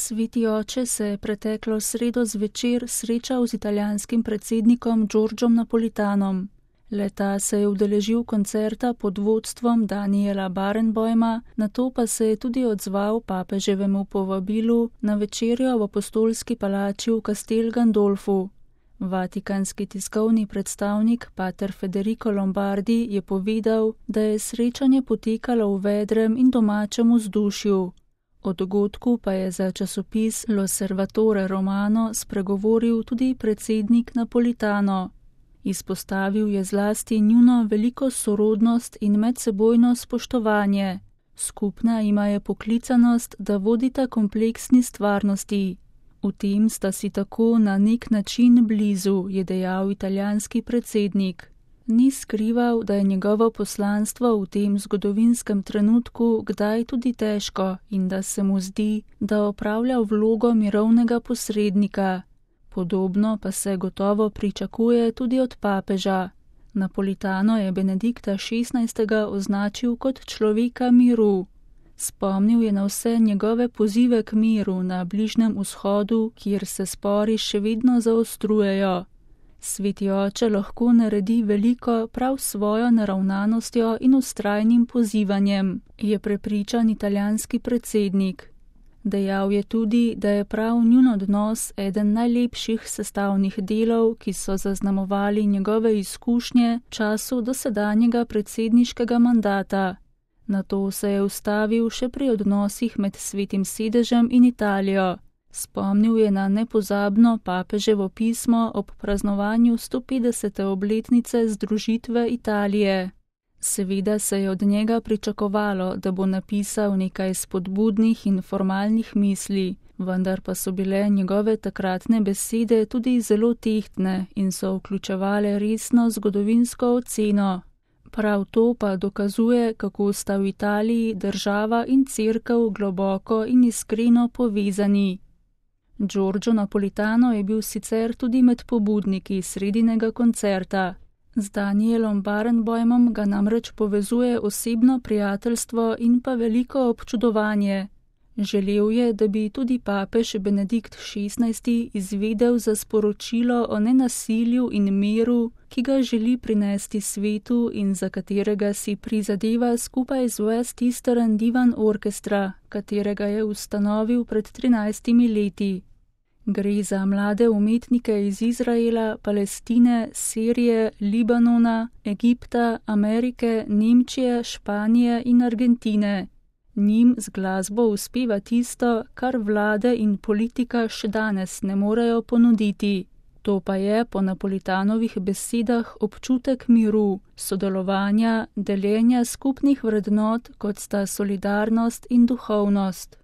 Sveti oče se je preteklo sredo zvečer srečal z italijanskim predsednikom Giorgiom Napolitanom. Le-ta se je udeležil koncerta pod vodstvom Daniela Barenboima, nato pa se je tudi odzval papeževemu povabilu na večerjo v apostolski palači v Castel Gandolfu. Vatikanski tiskovni predstavnik pater Federico Lombardi je povedal, da je srečanje potekalo v vedrem in domačem vzdušju. O dogodku pa je za časopis L'Osservatore Romano spregovoril tudi predsednik Napolitano. Izpostavil je zlasti njuno veliko sorodnost in medsebojno spoštovanje. Skupna ima je poklicanost, da vodita kompleksni stvarnosti. V tem sta si tako na nek način blizu, je dejal italijanski predsednik. Ni skrival, da je njegovo poslanstvo v tem zgodovinskem trenutku kdaj tudi težko in da se mu zdi, da opravlja vlogo mirovnega posrednika. Podobno pa se gotovo pričakuje tudi od papeža. Napolitano je Benedikta XVI. Označil kot človeka miru. Spomnil je na vse njegove pozive k miru na Bližnjem vzhodu, kjer se spori še vedno zaostrujejo. Sveti oče lahko naredi veliko prav svojo naravnanostjo in vztrajnim pozivanjem, je prepričan italijanski predsednik. Dejal je tudi, da je prav njun odnos eden najlepših sestavnih delov, ki so zaznamovali njegove izkušnje v času dosedanjega predsedniškega mandata. Nato se je ustavil še pri odnosih med Svetim sedežem in Italijo. Spomnil je na nepozabno papeževo pismo ob praznovanju 150. obletnice združitve Italije. Seveda se je od njega pričakovalo, da bo napisal nekaj spodbudnih in formalnih misli, vendar pa so bile njegove takratne besede tudi zelo tehtne in so vključevale resno zgodovinsko oceno. Prav to pa dokazuje, kako sta v Italiji država in cerkev globoko in iskreno povezani. Giorgio Napolitano je bil sicer tudi med pobudniki sredinega koncerta. Z Danielom Barenboimom ga namreč povezuje osebno prijateljstvo in pa veliko občudovanje. Želel je, da bi tudi papež Benedikt XVI. Izvedel za sporočilo o nenasilju in miru, ki ga želi prinesti svetu in za katerega si prizadeva skupaj z West Eastern Divan Orchestra, katerega je ustanovil pred 13 leti. Gre za mlade umetnike iz Izraela, Palestine, Sirije, Libanona, Egipta, Amerike, Nemčije, Španije in Argentine. Njim z glasbo uspeva tisto, kar vlade in politika še danes ne morejo ponuditi. To pa je po Napolitanovih besedah občutek miru, sodelovanja, deljenja skupnih vrednot, kot sta solidarnost in duhovnost.